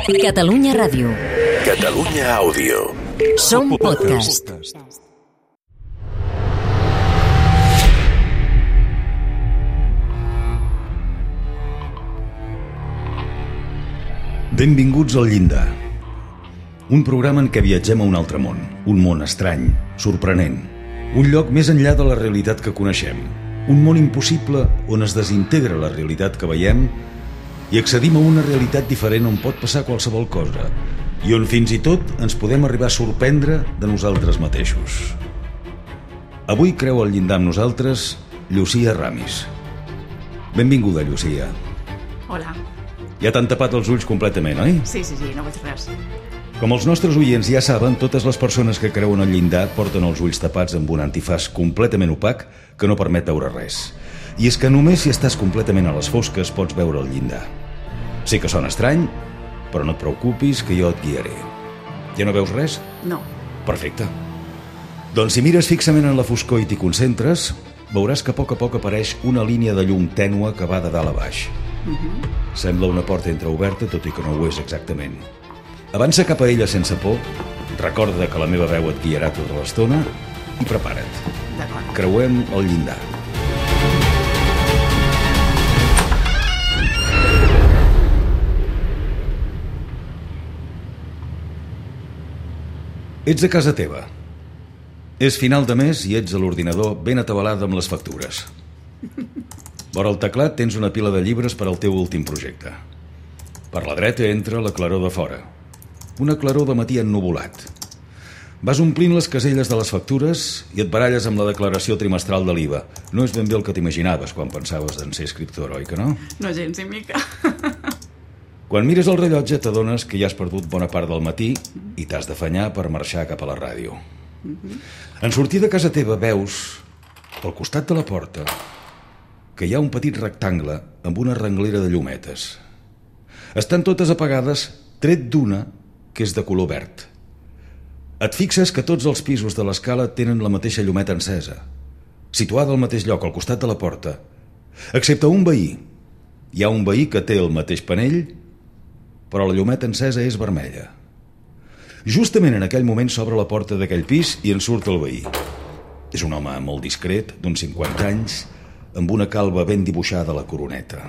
Catalunya Ràdio. Catalunya Àudio. Som podcast. Benvinguts al Llindar. Un programa en què viatgem a un altre món. Un món estrany, sorprenent. Un lloc més enllà de la realitat que coneixem. Un món impossible on es desintegra la realitat que veiem i accedim a una realitat diferent on pot passar qualsevol cosa i on fins i tot ens podem arribar a sorprendre de nosaltres mateixos. Avui creu al llindar amb nosaltres Llucia Ramis. Benvinguda, Llucia. Hola. Ja t'han tapat els ulls completament, oi? Sí, no veig res. Com els nostres oients ja saben, totes les persones que creuen al llindar porten els ulls tapats amb un antifaç completament opac que no permet veure res. I és que només si estàs completament a les fosques pots veure el llindar. Sé que sona estrany, però no et preocupis que jo et guiaré. Ja no veus res? No. Perfecte. Doncs si mires fixament en la foscor i t'hi concentres, veuràs que a poc apareix una línia de llum tènua que va de dalt a baix. Sembla una porta entreoberta, tot i que no ho és exactament. Avança cap a ella sense por, recorda que la meva veu et guiarà tota l'estona i prepara't. D'acord. Creuem el llindar. Ets a casa teva. És final de mes i ets a l'ordinador ben atabalada amb les factures. Vora el teclat tens una pila de llibres per al teu últim projecte. Per la dreta entra la claror de fora. Una claror de matí ennuvolat. Vas omplint les caselles de les factures i et baralles amb la declaració trimestral de l'IVA. No és ben bé el que t'imaginaves quan pensaves en ser escriptor, oi que no? No gens ni mica. Quan mires el rellotge t'adones que ja has perdut bona part del matí i t'has d'afanyar per marxar cap a la ràdio. En sortir de casa teva veus, al costat de la porta, que hi ha un petit rectangle amb una renglera de llumetes. Estan totes apagades, tret d'una que és de color verd. Et fixes que tots els pisos de l'escala tenen la mateixa llumeta encesa, situada al mateix lloc, al costat de la porta, excepte un veí. Hi ha un veí que té el mateix panell, però la llumeta encesa és vermella. Justament en aquell moment s'obre la porta d'aquell pis i en surt el veí. És un home molt discret, d'uns 50 anys, amb una calva ben dibuixada a la coroneta.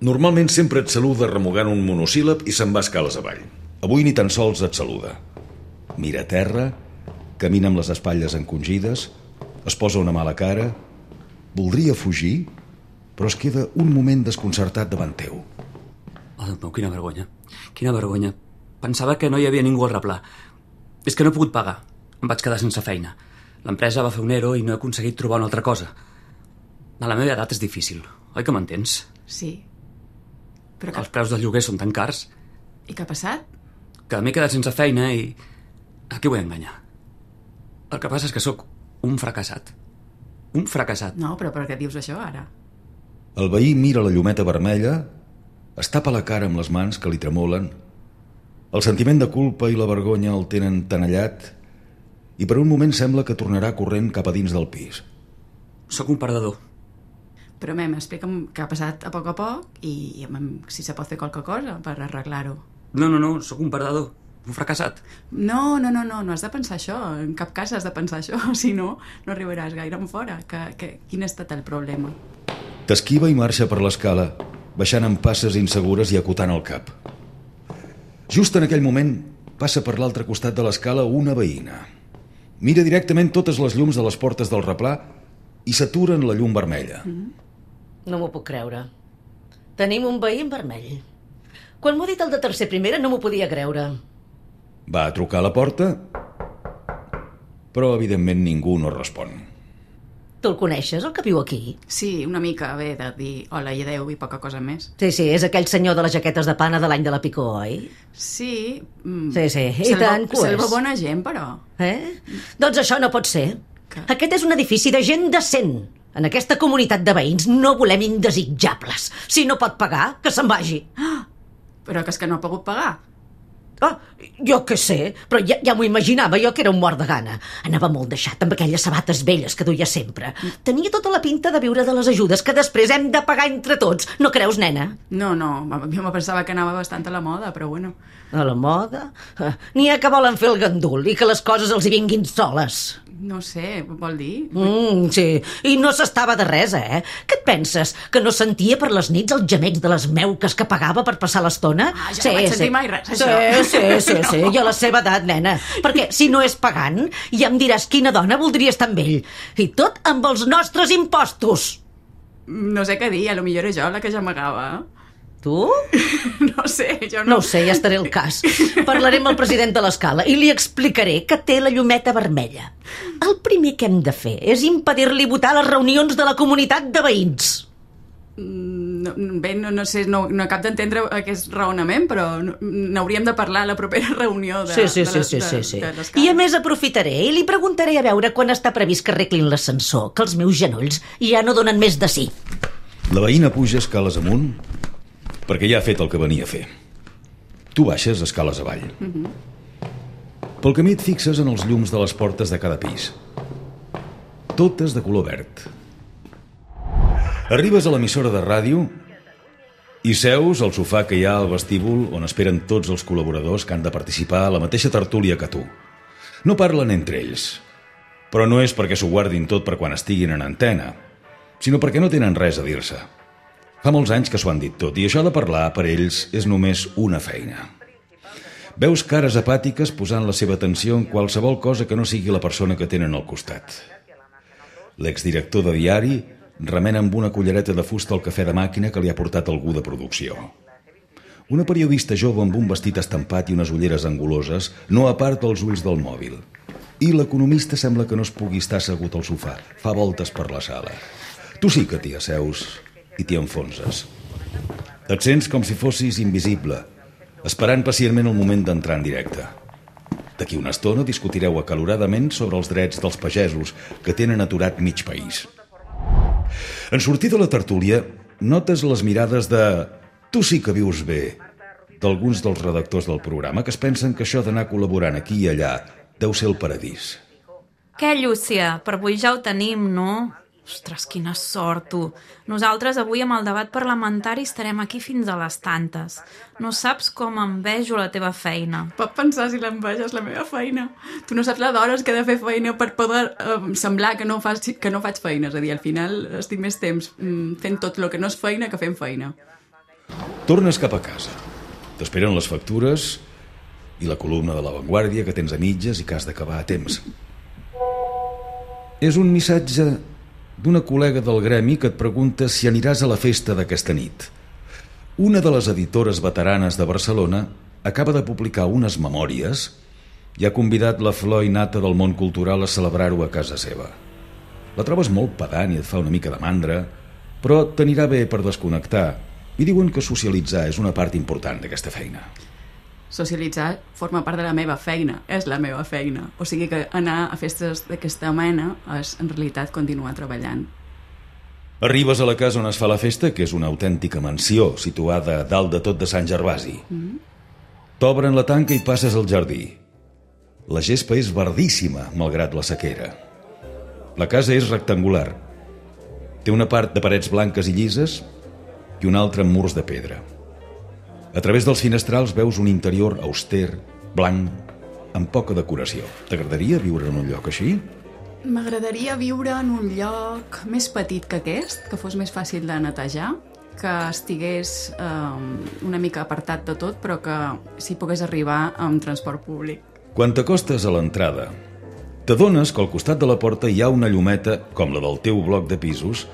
Normalment sempre et saluda remugant un monosíl·lab i se'n va escales avall. Avui ni tan sols et saluda. Mira a terra, camina amb les espatlles encongides, es posa una mala cara, voldria fugir, però es queda un moment desconcertat davant teu. Oh, Déu meu, quina vergonya. Quina vergonya. Pensava que no hi havia ningú al replà. És que no he pogut pagar. Em vaig quedar sense feina. L'empresa va fer un ERO i no he aconseguit trobar una altra cosa. A la meva edat és difícil, oi que m'entens? Sí. Però Els preus del lloguer són tan cars. I què ha passat? Que m'he quedat sense feina i... A qui vull enganyar? El que passa és que sóc un fracassat. Un fracassat. No, però per què dius això ara? El veí mira la llumeta vermella, es tapa la cara amb les mans que li tremolen. El sentiment de culpa i la vergonya el tenen tenallat i per un moment sembla que tornarà corrent cap a dins del pis. Sóc un perdedor. Però, explica'm què ha passat a poc i si se pot fer qualque cosa per arreglar-ho. No, sóc un perdedor. Un fracassat. No has de pensar això. En cap cas has de pensar això. Si no, no arribaràs gaire en fora. Quin ha estat el problema? T'esquiva i marxa per l'escala, baixant amb passes insegures i acotant el cap. Just en aquell moment passa per l'altre costat de l'escala una veïna. Mira directament totes les llums de les portes del replà i s'atura en la llum vermella. No m'ho puc creure. Tenim un veí en vermell. Quan m'ho ha dit el de tercer primera no m'ho podia creure. Va a trucar a la porta, però evidentment ningú no respon. Tu el coneixes, el que viu aquí? Sí, una mica, bé, de dir hola i adeu i poca cosa més. Sí, és aquell senyor de les jaquetes de pana de l'any de la Picó, oi? Sí. Sí, i tant que ho és. Salva bona gent, però. Doncs això no pot ser. Que? Aquest és un edifici de gent decent. En aquesta comunitat de veïns no volem indesitjables. Si no pot pagar, que se'n vagi. Però que és que no ha pogut pagar. Jo què sé, però ja m'ho imaginava jo que era un mort de gana. Anava molt deixat amb aquelles sabates velles que duia sempre. Tenia tota la pinta de viure de les ajudes que després hem de pagar entre tots. No creus, nena? No, jo me pensava que anava bastant a la moda, però bueno. A la moda? N'hi ha que volen fer el gandul i que les coses els hi vinguin soles. No sé, vol dir? Sí, i no s'estava de res, eh? Què et penses? Que no sentia per les nits els gemecs de les meuques que pagava per passar l'estona? Ja no vaig sentir mai res, això. Sí, i a la seva edat, nena. Perquè si no és pagant, ja em diràs quina dona voldria estar amb ell. I tot amb els nostres impostos. No sé què dir, potser era jo la que ja amagava. Tu? No sé, jo no... No ho sé, ja estaré al cas. Parlaré amb el president de l'escala i li explicaré que té la llumeta vermella. El primer que hem de fer és impedir-li votar a les reunions de la comunitat de veïns. No sé, no acabo d'entendre aquest raonament, però n'hauríem de parlar a la propera reunió de l'escala. I a més aprofitaré i li preguntaré a veure quan està previst que arreglin l'ascensor, que els meus genolls ja no donen més de sí. La veïna puja escales amunt perquè ja ha fet el que venia a fer. Tu baixes escales avall. Pel camí et fixes en els llums de les portes de cada pis. Totes de color verd. Arribes a l'emissora de ràdio i seus al sofà que hi ha al vestíbul on esperen tots els col·laboradors que han de participar a la mateixa tertúlia que tu. No parlen entre ells, però no és perquè s'ho guardin tot per quan estiguin en antena, sinó perquè no tenen res a dir-se. Fa molts anys que s'ho han dit tot i això de parlar per ells és només una feina. Veus cares apàtiques posant la seva atenció en qualsevol cosa que no sigui la persona que tenen al costat. L'exdirector de diari remena amb una cullereta de fusta el cafè de màquina que li ha portat algú de producció. Una periodista jove amb un vestit estampat i unes ulleres anguloses no aparta els ulls del mòbil. I l'economista sembla que no es pugui estar assegut al sofà. Fa voltes per la sala. Tu sí que t'hi asseus i t'hi enfonses. Et sents com si fossis invisible, esperant pacientment el moment d'entrar en directe. D'aquí una estona discutireu acaloradament sobre els drets dels pagesos que tenen aturat mig país. En sortir de la tertúlia, notes les mirades de «tu sí que vius bé» d'alguns dels redactors del programa que es pensen que això d'anar col·laborant aquí i allà deu ser el paradís. Què, Llúcia? Per avui ja ho tenim, no? Ostres, quina sort, tu. Nosaltres avui amb el debat parlamentari estarem aquí fins a les tantes. No saps com envejo la teva feina. Pot pensar si l'enveja és la meva feina. Tu no saps la d'hores que he de fer feina per poder semblar que no faig feina. És a dir, al final estic més temps fent tot el que no és feina que fent feina. Tornes cap a casa. T'esperen les factures i la columna de La Vanguardia que tens a mitges i que has d'acabar a temps. És un missatge d'una col·lega del gremi que et pregunta si aniràs a la festa d'aquesta nit. Una de les editores veteranes de Barcelona acaba de publicar unes memòries i ha convidat la flor i nata del món cultural a celebrar-ho a casa seva. La trobes molt pedant i et fa una mica de mandra, però t'anirà bé per desconnectar i diuen que socialitzar és una part important d'aquesta feina. Socialitzar forma part de la meva feina, és la meva feina. O sigui que anar a festes d'aquesta mena és en realitat continuar treballant. Arribes a la casa on es fa la festa, que és una autèntica mansió situada dalt de tot de Sant Gervasi. T'obren la tanca i passes al jardí. La gespa és verdíssima, malgrat la sequera. La casa és rectangular. Té una part de parets blanques i llises i una altra amb murs de pedra. A través dels finestrals veus un interior auster, blanc, amb poca decoració. T'agradaria viure en un lloc així? M'agradaria viure en un lloc més petit que aquest, que fos més fàcil de netejar, que estigués una mica apartat de tot, però que s'hi pogués arribar amb transport públic. Quan t'acostes a l'entrada, t'adones que al costat de la porta hi ha una llumeta, com la del teu bloc de pisos,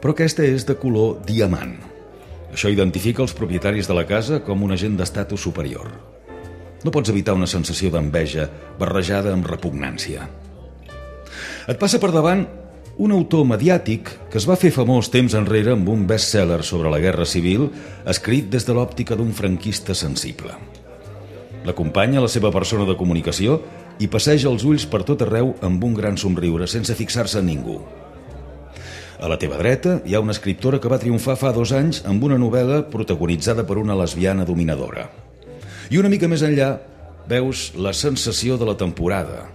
però aquesta és de color diamant. Això identifica els propietaris de la casa com una gent d'estatus superior. No pots evitar una sensació d'enveja barrejada amb repugnància. Et passa per davant un autor mediàtic que es va fer famós temps enrere amb un best-seller sobre la Guerra Civil escrit des de l'òptica d'un franquista sensible. L'acompanya la seva persona de comunicació i passeja els ulls per tot arreu amb un gran somriure sense fixar-se en ningú. A la teva dreta hi ha una escriptora que va triomfar fa 2 anys amb una novel·la protagonitzada per una lesbiana dominadora. I una mica més enllà veus la sensació de la temporada.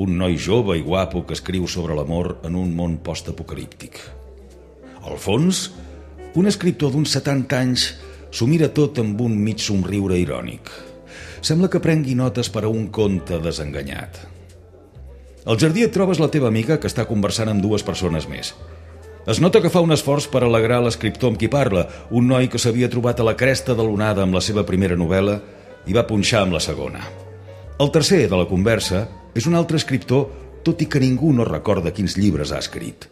Un noi jove i guapo que escriu sobre l'amor en un món postapocalíptic. Al fons, un escriptor d'uns 70 anys s'ho mira tot amb un mig somriure irònic. Sembla que prengui notes per a un conte desenganyat. Al jardí et trobes la teva amiga que està conversant amb dues persones més. Es nota que fa un esforç per alegrar l'escriptor amb qui parla, un noi que s'havia trobat a la cresta de l'onada amb la seva primera novel·la i va punxar amb la segona. El tercer de la conversa és un altre escriptor, tot i que ningú no recorda quins llibres ha escrit.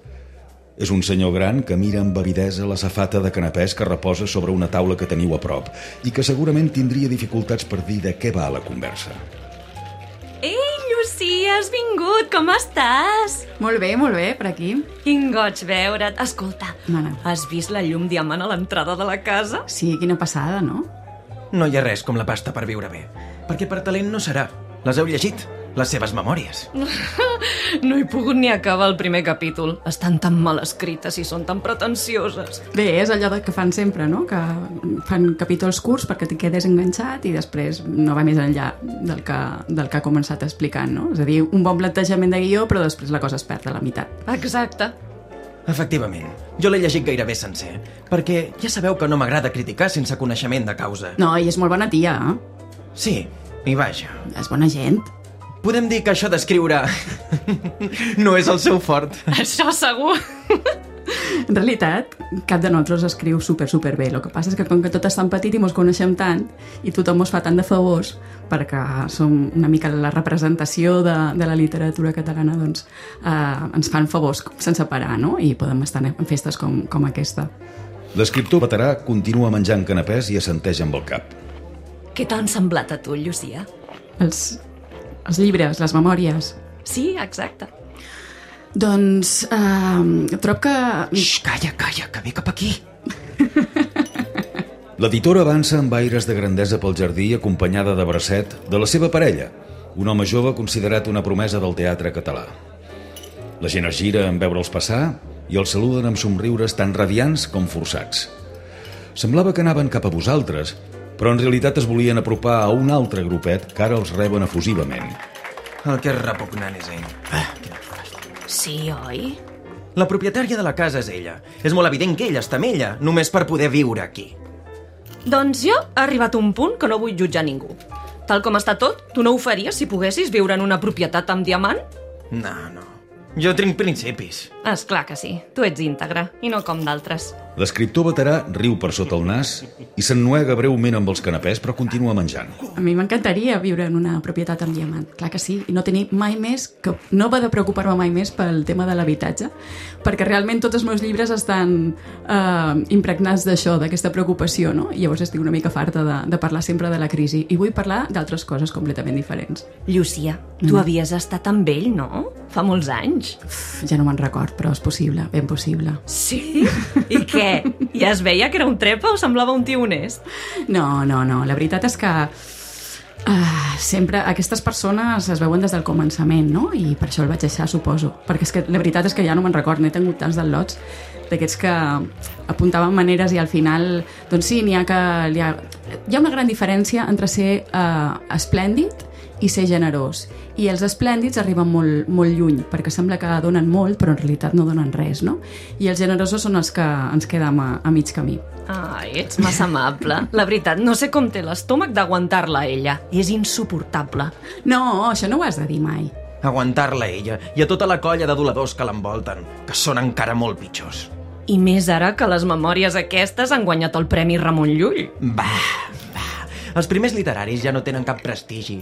És un senyor gran que mira amb avidesa la safata de canapès que reposa sobre una taula que teniu a prop i que segurament tindria dificultats per dir de què va la conversa. Ei, Lucía, has vingut, com estàs? Molt bé, per aquí. Quin goig veure't. Escolta, Mana. has vist la llum diamant a l'entrada de la casa? Sí, quina passada, no? No hi ha res com la pasta per viure bé, perquè per talent no serà. Les heu llegit? Les seves memòries. No he pogut ni acabar el primer capítol. Estan tan mal escrites i són tan pretensioses. Bé, és allò que fan sempre, no? Que fan capítols curts perquè t'hi quedes enganxat i després no va més enllà del que ha començat explicant, no? És a dir, un bon plantejament de guió, però després la cosa es perd a la meitat. Exacte. Efectivament, jo l'he llegit gairebé sencer, perquè ja sabeu que no m'agrada criticar sense coneixement de causa. No, i és molt bona tia, eh? Sí, i vaja. És bona gent. Podem dir que això d'escriure no és el seu fort. Això segur. En realitat, cap de nosaltres escriu super bé. El que passa és que com que tot és tan petit i mos coneixem tant i tothom mos fa tant de favors perquè som una mica la representació de la literatura catalana, doncs ens fan favors sense parar, no? I podem estar en festes com aquesta. L'escriptor veterà continua menjant canapès i assenteix amb el cap. Què t'han semblat a tu, Lucía? Els llibres, les memòries. Sí, exacte. Doncs trob que... Xxt, calla, que ve cap aquí. L'editora avança amb aires de grandesa pel jardí acompanyada de bracet de la seva parella, un home jove considerat una promesa del teatre català. La gent es gira en veure'ls passar i els saluden amb somriures tan radiants com forçats. Semblava que anaven cap a vosaltres, però en realitat es volien apropar a un altre grupet que ara els reben efusivament. El que és repugnant és ell. Quina fàstia. Sí, oi? La propietària de la casa és ella. És molt evident que ella està amb ella, només per poder viure aquí. Doncs jo he arribat a un punt que no vull jutjar ningú. Tal com està tot, tu no ho faries si poguessis viure en una propietat amb diamant? No. Jo tinc principis. És clar que sí. Tu ets íntegre, i no com d'altres. L'escriptor veterà riu per sota el nas i s'ennuega breument amb els canapès, però continua menjant. A mi m'encantaria viure en una propietat amb diamant, clar que sí, i no tenir mai més, que no va de preocupar-me mai més pel tema de l'habitatge, perquè realment tots els meus llibres estan impregnats d'això, d'aquesta preocupació, no? I llavors estic una mica farta de parlar sempre de la crisi, i vull parlar d'altres coses completament diferents. Lucía, tu havies estat amb ell, no? Fa molts anys. Ja no me'n record, però és possible, ben possible. Sí? I què? Ja es veia que era un trepa o semblava un tio honest? No, la veritat és que sempre aquestes persones es veuen des del començament, no? I per això el vaig deixar, suposo. Perquè és que la veritat és que ja no me'n record, n'he tingut tants del lots d'aquests que apuntaven maneres i al final, doncs sí, hi ha una gran diferència entre ser esplèndid i ser generós. I els esplèndids arriben molt, molt lluny, perquè sembla que donen molt, però en realitat no donen res, no? I els generosos són els que ens quedem a mig camí. Ai, ets massa amable. La veritat, no sé com té l'estómac d'aguantar-la a ella. I és insuportable. No, això no ho has de dir mai. Aguantar-la a ella i a tota la colla d'aduladors que l'envolten, que són encara molt pitjors. I més ara que les memòries aquestes han guanyat el Premi Ramon Llull. Va. Els primers literaris ja no tenen cap prestigi.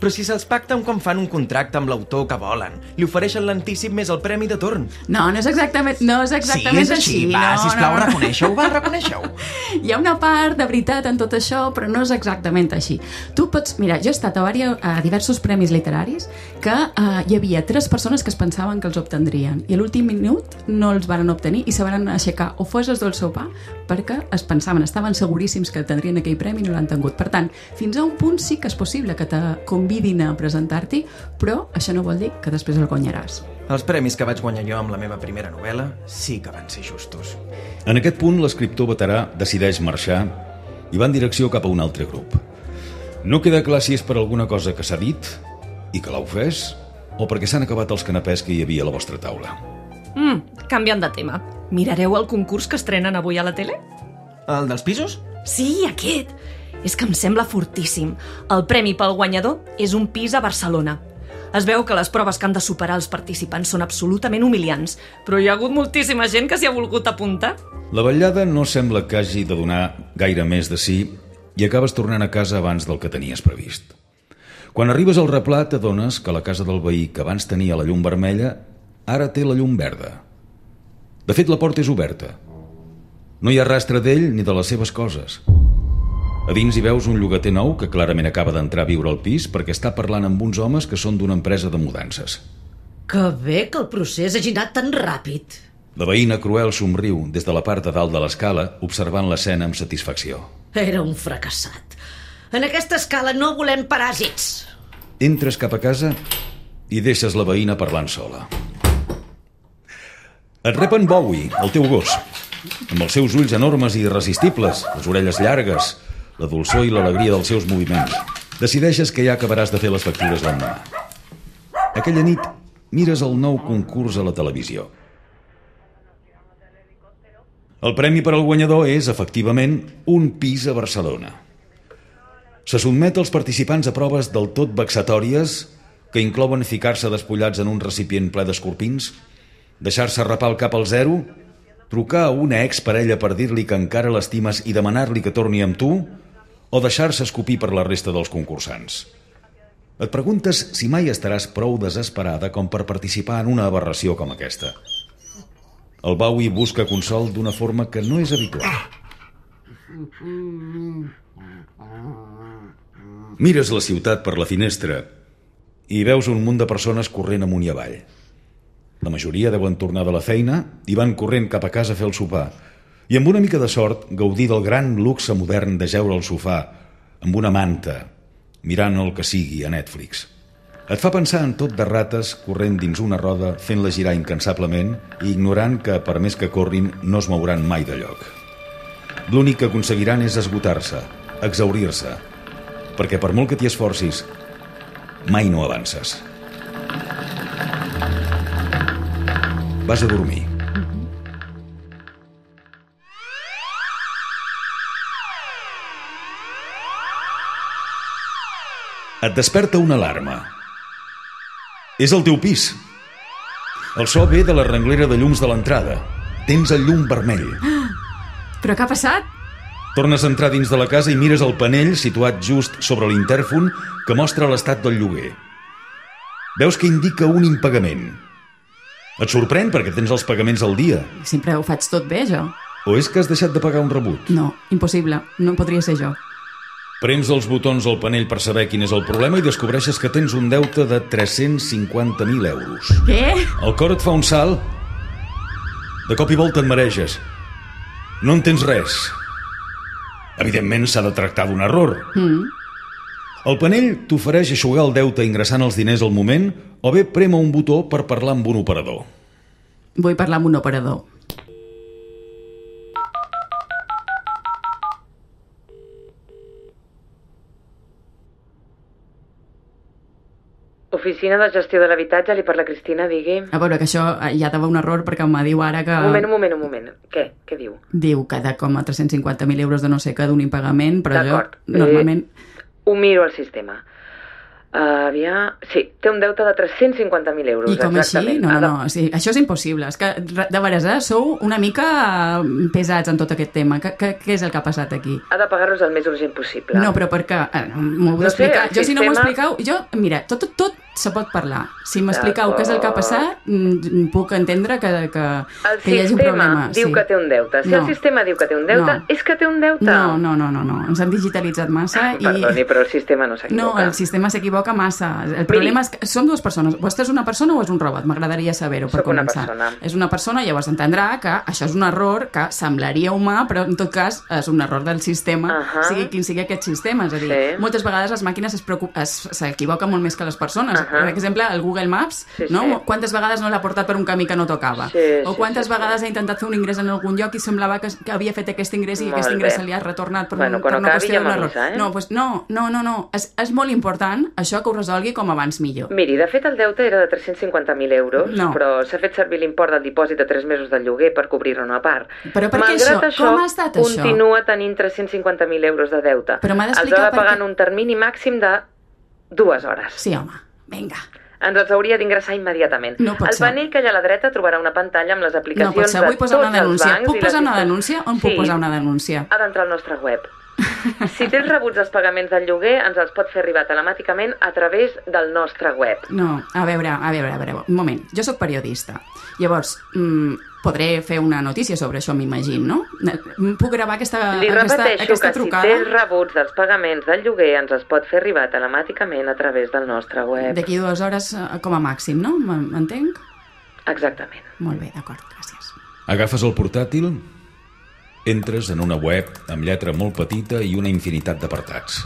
Però si se'ls pacten quan fan un contracte amb l'autor que volen, li ofereixen l'antícip més el premi de torn. No és exactament Sí, és així. Va, sisplau, reconeixeu-ho. Hi ha una part de veritat en tot això, però no és exactament així. Tu pots... Mira, jo he estat a diversos premis literaris que hi havia 3 persones que es pensaven que els obtindrien i a l'últim minut no els van obtenir i se van aixecar o fos el del sopar perquè es pensaven, estaven seguríssims que tindrien aquell premi i no l'han tingut. Per tant, fins a un punt sí que és possible que te convidin a presentar-t'hi, però això no vol dir que després el guanyaràs. Els premis que vaig guanyar jo amb la meva primera novel·la sí que van ser justos. En aquest punt, l'escriptor veterà decideix marxar i va en direcció cap a un altre grup. No queda clar si és per alguna cosa que s'ha dit i que l'ha ofès o perquè s'han acabat els canapès que hi havia a la vostra taula. Canviant de tema. Mirareu el concurs que estrenen avui a la tele? El dels pisos? Sí, aquest. És que em sembla fortíssim. El premi pel guanyador és un pis a Barcelona. Es veu que les proves que han de superar els participants són absolutament humiliants, però hi ha hagut moltíssima gent que s'hi ha volgut apuntar. La vetllada no sembla que hagi de donar gaire més de sí i acabes tornant a casa abans del que tenies previst. Quan arribes al replà t'adones que la casa del veí que abans tenia la llum vermella ara té la llum verda. De fet, la porta és oberta. No hi ha rastre d'ell ni de les seves coses. A dins hi veus un llogater nou que clarament acaba d'entrar a viure al pis perquè està parlant amb uns homes que són d'una empresa de mudances. Que bé que el procés hagi anat tan ràpid. La veïna cruel somriu des de la part de dalt de l'escala observant l'escena amb satisfacció. Era un fracassat. En aquesta escala no volem paràsits. Entres cap a casa i deixes la veïna parlant sola. Et rep en Bowie, el teu gos, amb els seus ulls enormes i irresistibles, les orelles llargues, la dolçor i l'alegria dels seus moviments. Decideixes que ja acabaràs de fer les factures l'endemà. Aquella nit mires el nou concurs a la televisió. El premi per al guanyador és, efectivament, un pis a Barcelona. Se sotmet als participants a proves del tot vexatòries que inclouen ficar-se despullats en un recipient ple d'escorpins, deixar-se rapar el cap al zero, trucar a una exparella per dir-li que encara l'estimes i demanar-li que torni amb tu, o deixar-se escopir per la resta dels concursants. Et preguntes si mai estaràs prou desesperada com per participar en una aberració com aquesta. El Bowie busca consol d'una forma que no és habitual. Mires la ciutat per la finestra i veus un munt de persones corrent amunt i avall. La majoria deuen tornar de la feina i van corrent cap a casa a fer el sopar i amb una mica de sort gaudir del gran luxe modern de jeure al sofà amb una manta, mirant el que sigui a Netflix. Et fa pensar en tot de rates corrent dins una roda, fent-la girar incansablement i ignorant que, per més que corrin, no es mouran mai de lloc. L'únic que aconseguiran és esgotar-se, exhaurir-se, perquè per molt que t'hi esforcis, mai no avances. Vas a dormir. Et desperta una alarma. És el teu pis. El so ve de la renglera de llums de l'entrada. Tens el llum vermell. Però què ha passat? Tornes a entrar dins de la casa i mires el panell situat just sobre l'intèrfon que mostra l'estat del lloguer. Veus que indica un impagament. Et sorprèn perquè tens els pagaments al dia. Sempre ho faig tot bé, jo. O és que has deixat de pagar un rebut? No, impossible. No podria ser jo. Prems els botons al panell per saber quin és el problema i descobreixes que tens un deute de 350.000 euros. Què? El cor et fa un salt. De cop i volta et mareges. No entens res. Evidentment s'ha de tractar d'un error. El panell t'ofereix eixugar el deute ingressant els diners al moment o bé prema un botó per parlar amb un operador. Vull parlar amb un operador. Oficina de gestió de l'habitatge, li parla Cristina, digui. A veure, que això ja t'ava un error perquè em diu ara que... Un moment. Què? Què diu? Diu que de com a 350.000 euros de no sé què d'un impagament, però d'acord. Jo normalment... Ho miro al sistema. Sí, té un deute de 350.000 euros. I com exactament. així? No, sí, això és impossible. És que, de veres, sou una mica pesats en tot aquest tema. Què és el que ha passat aquí? Ha de pagar-los el més urgent possible. No, però per què? M'ho heu d'explicar. Jo, si no m'ho expliqueu... Mira, tot se pot parlar. Si m'expliqueu què és el que ha passat, puc entendre que hi hagi un problema. El sistema diu que té un deute. Si el sistema diu que té un deute, és que té un deute. No. Ens han digitalitzat massa i... Perdoni, però el sistema no s'equivoca. No, el sistema s'equivoca massa. El problema és que som dues persones. Vostè és una persona o és un robot? M'agradaria saber-ho per començar. Soc una persona. És una persona, llavors entendrà que això és un error que semblaria humà, però en tot cas és un error del sistema, sigui quin sigui aquest sistema. És a dir, moltes vegades les màquines s'equivoquen molt més que les persones. Per exemple, el Google Maps, no? Quantes vegades no l'ha portat per un camí que no tocava? O quantes vegades ha intentat fer un ingrés en algun lloc i semblava que havia fet aquest ingrés i aquest ingrés se li ha retornat per una qüestió d'un error. No. És molt important, això, que ho resolgui com abans millor. Miri, de fet, el deute era de 350.000 euros, però s'ha fet servir l'import del dipòsit de 3 mesos del lloguer per cobrir-ne una part. Però per què això? Com ha estat això? Continua tenint 350.000 euros de deute. Però m'ha Els d'explicar ha de pagar en un termini màxim de 2 hores. Sí, home, vinga. Ens els hauria d'ingressar immediatament. Al panell que hi ha a la dreta trobarà una pantalla amb les aplicacions de tots els bancs. Puc posar una denúncia? On puc posar una denúncia? Ha d'entrar al nostre web. Si tens rebuts dels pagaments del lloguer, ens els pot fer arribar telemàticament a través del nostre web. No, a veure, un moment. Jo sóc periodista. Llavors, podré fer una notícia sobre això, m'imagino, no? Puc gravar aquesta trucada? Li repeteixo que si tens rebuts dels pagaments del lloguer, ens els pot fer arribar telemàticament a través del nostre web. D'aquí 2 hores com a màxim, no? M'entenc? Exactament. Molt bé, d'acord, gràcies. Agafes el portàtil, entres en una web amb lletra molt petita i una infinitat d'apartats.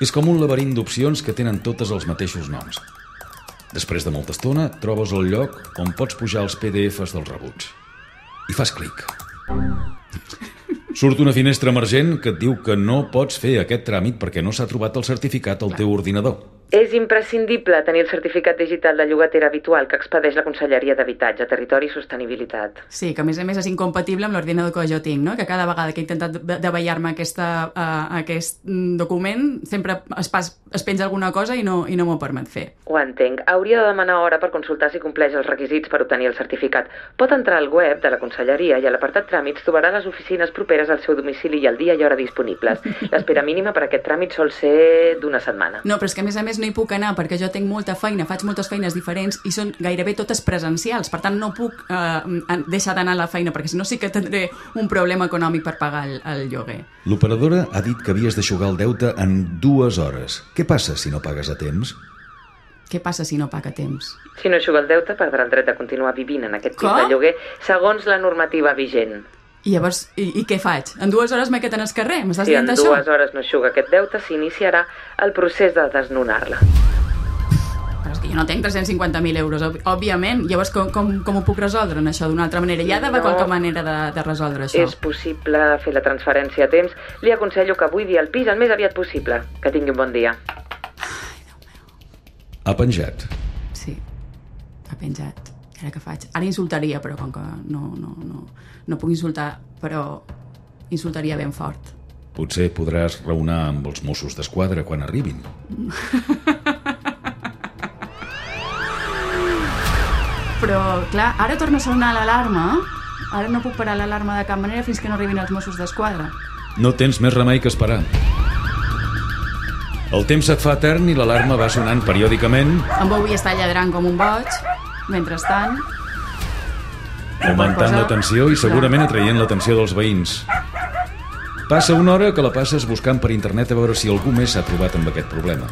És com un laberint d'opcions que tenen totes els mateixos noms. Després de molta estona, trobes el lloc on pots pujar els PDFs dels rebuts. I fas clic. Surt una finestra emergent que et diu que no pots fer aquest tràmit perquè no s'ha trobat el certificat al teu ordinador. És imprescindible tenir el certificat digital de llogatera habitual que expedeix la Conselleria d'Habitatge, Territori i Sostenibilitat. Sí, que a més és incompatible amb l'ordinador que jo tinc, no? Que cada vegada que he intentat davallar-me aquest document sempre es penja alguna cosa i no m'ho permet fer. Ho entenc. Hauria de demanar hora per consultar si compleix els requisits per obtenir el certificat. Pot entrar al web de la Conselleria i a l'apartat Tràmits trobarà les oficines properes al seu domicili i el dia i hora disponibles. L'espera mínima per aquest tràmit sol ser d'1 setmana. No, però és que a més no hi puc anar perquè jo tinc molta feina, faig moltes feines diferents i són gairebé totes presencials, per tant no puc deixar d'anar a la feina perquè si no sí que tindré un problema econòmic per pagar el lloguer. L'operadora ha dit que havies d'eixugar el deute en 2 hores. Què passa si no pagues a temps? Què passa si no paga a temps? Si no eixuga el deute, perdrà el dret de continuar vivint en aquest pis de lloguer segons la normativa vigent. I llavors, i què faig? En 2 hores m'he quedat en el carrer? M'estàs dient d'això? Si en 2 hores no eixuga aquest deute, s'iniciarà el procés de desnonar-la. Però és que jo no tenc 350.000 euros, òbviament. Llavors, com ho puc resoldre, això, d'una altra manera? Hi ha d'haver qualque manera de resoldre això? És possible fer la transferència a temps. Li aconsello que buidi el pis el més aviat possible. Que tingui un bon dia. Ai, Déu meu. Ha penjat. Sí, ha penjat. Ara què faig? Ara insultaria, però com que no puc insultar, però insultaria ben fort. Potser podràs raonar amb els Mossos d'Esquadra quan arribin. Però, clar, ara torna a sonar l'alarma. Ara no puc parar l'alarma de cap manera fins que no arribin els Mossos d'Esquadra. No tens més remei que esperar. El temps et fa etern i l'alarma va sonant periòdicament. En Bobby està lladrant com un boig. Mentrestant... Augmentant la tensió i segurament atraient l'atenció dels veïns. Passa una hora que la passes buscant per internet a veure si algú més s'ha trobat amb aquest problema.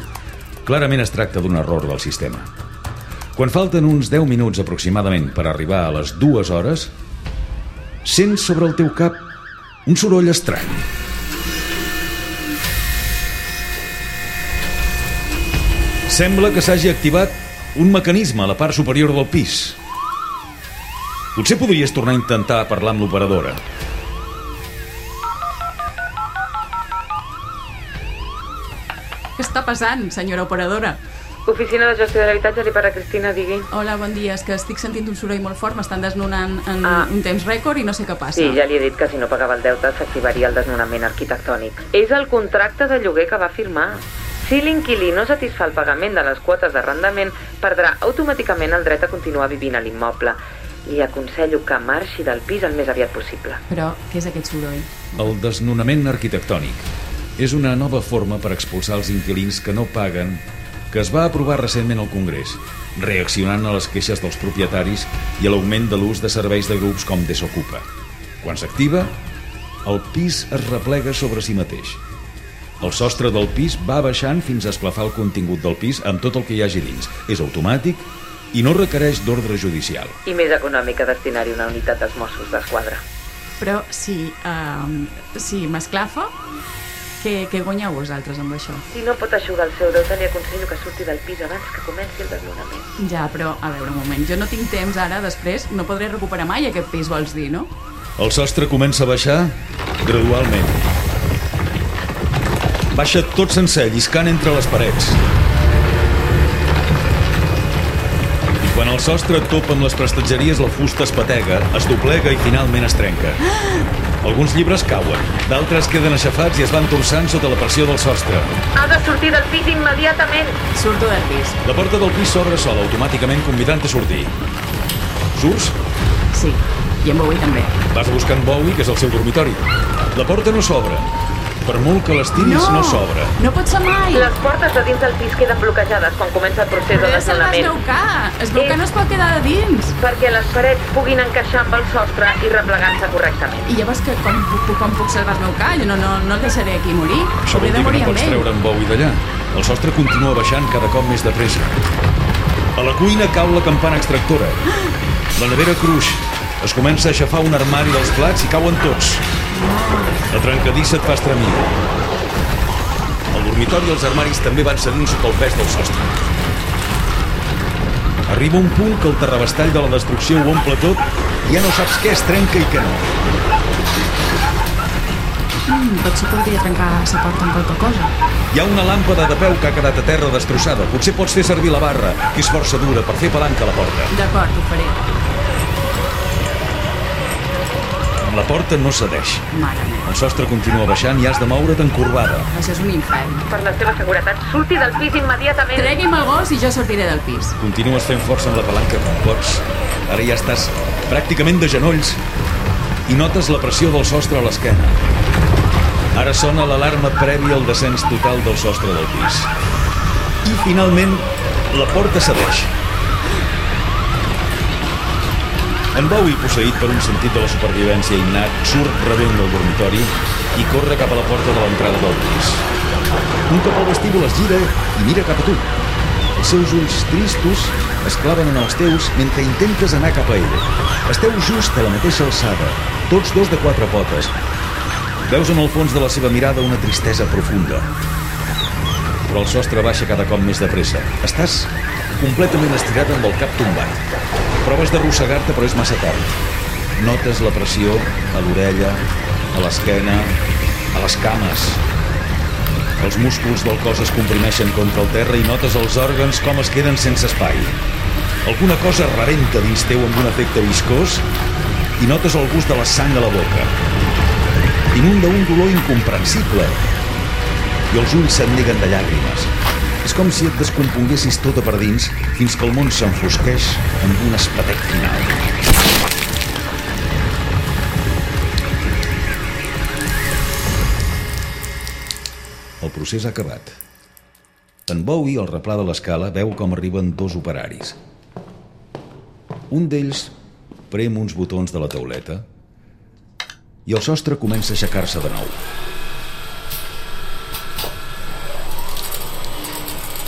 Clarament es tracta d'un error del sistema. Quan falten uns 10 minuts aproximadament per arribar a les 2 hores, sents sobre el teu cap un soroll estrany. Sembla que s'hagi activat un mecanisme a la part superior del pis. Potser podries tornar a intentar parlar amb l'operadora. Què està passant, senyora operadora? Oficina de Gestió de l'Habitatge, li parla Cristina, digui. Hola, bon dia. És que estic sentint un soroll molt fort, m'estan desnonant en un temps rècord i no sé què passa. Sí, ja li he dit que si no pagava el deute s'activaria el desnonament arquitectònic. És el contracte de lloguer que va firmar. Si l'inquilí no satisfà el pagament de les quotes d'arrendament, perdrà automàticament el dret a continuar vivint a l'immoble. Li aconsello que marxi del pis el més aviat possible. Però què és aquest soroll? El desnonament arquitectònic és una nova forma per expulsar els inquilins que no paguen, que es va aprovar recentment al Congrés, reaccionant a les queixes dels propietaris i a l'augment de l'ús de serveis de grups com Desokupa. Quan s'activa, el pis es replega sobre si mateix. El sostre del pis va baixant fins a esclafar el contingut del pis amb tot el que hi hagi dins. És automàtic i no requereix d'ordre judicial. I més econòmica destinar-hi una unitat dels Mossos d'Esquadra. Però si m'esclafa, Què guanyeu vosaltres amb això? Si no pot eixugar el seu deute, li aconsello que surti del pis abans que comenci el desnonament. Ja, però, a veure, un moment, jo no tinc temps ara, després no podré recuperar mai aquest pis, vols dir, no? El sostre comença a baixar gradualment. Baixa tot sencer, lliscant entre les parets. I quan el sostre topa amb les prestatgeries, la fusta es patega, es doblega i finalment es trenca. Alguns llibres cauen, d'altres queden aixafats i es van torçant sota la pressió del sostre. Ha de sortir del pis immediatament. Surto del pis. La porta del pis s'obre sola, automàticament convidant a sortir. Surts? Sí, i en Bowie també. Vas a buscar en Bowie, que és el seu dormitori. La porta no s'obre. Per molt que l'estiris, no s'obre. No pot ser mai. Les portes de dins del pis queden bloquejades quan comença el procés de Però se'l va desnonament. esblocar no es pot quedar de dins. Perquè les parets puguin encaixar amb el sostre i replegar-se correctament. I llavors com puc salvar el meu ca? Jo no el deixaré aquí morir. Això vol dir que no pots treure en Bowie d'allà. El sostre continua baixant cada cop més de pressa. A la cuina cau la campana extractora. La nevera cruix. Es comença a aixafar un armari dels plats i cauen tots. La trencadissa et fa estremir. El dormitori i els armaris també van cedint sota el pes del sostre. Arriba un punt que el terrabastall de la destrucció ho omple tot i ja no saps què es trenca i què no. Potser podria trencar la porta amb qualque cosa. Hi ha una làmpada de peu que ha quedat a terra destrossada. Potser pots fer servir la barra, que és força dura, per fer palanca a la porta. D'acord, ho faré. La porta no cedeix. Mare meva. El sostre continua baixant i has de moure't encorbada. Això és un infern. Per la seva seguretat, surti del pis immediatament. Tregui'm el gos i jo sortiré del pis. Continues fent força amb la palanca com pots. Ara ja estàs pràcticament de genolls i notes la pressió del sostre a l'esquena. Ara sona l'alarma prèvia al descens total del sostre del pis. I finalment la porta cedeix. En Bowie, posseït per un sentit de la supervivència innat, surt rebent del dormitori i corre cap a la porta de l'entrada del pis. Un cop al vestíbul es gira i mira cap a tu. Els seus ulls tristos es claven en els teus mentre intentes anar cap a ell. Esteu just a la mateixa alçada, tots dos de quatre potes. Veus en el fons de la seva mirada una tristesa profunda. Però el sostre baixa cada cop més de pressa. Estàs completament estirat amb el cap tombat. Proves d'arrossegar-te, però és massa tard. Notes la pressió a l'orella, a l'esquena, a les cames. Els músculs del cos es comprimeixen contra el terra i notes els òrgans com es queden sense espai. Alguna cosa rebenta dins teu amb un efecte viscós i notes el gust de la sang a la boca. Inunda un dolor incomprensible i els ulls se't neguen de llàgrimes. És com si et descomponguessis tota per dins fins que el món s'enfosqueix amb un espetec final. El procés ha acabat. En Bowie, al replà de l'escala, veu com arriben dos operaris. Un d'ells prem uns botons de la tauleta i el sostre comença a aixecar-se de nou.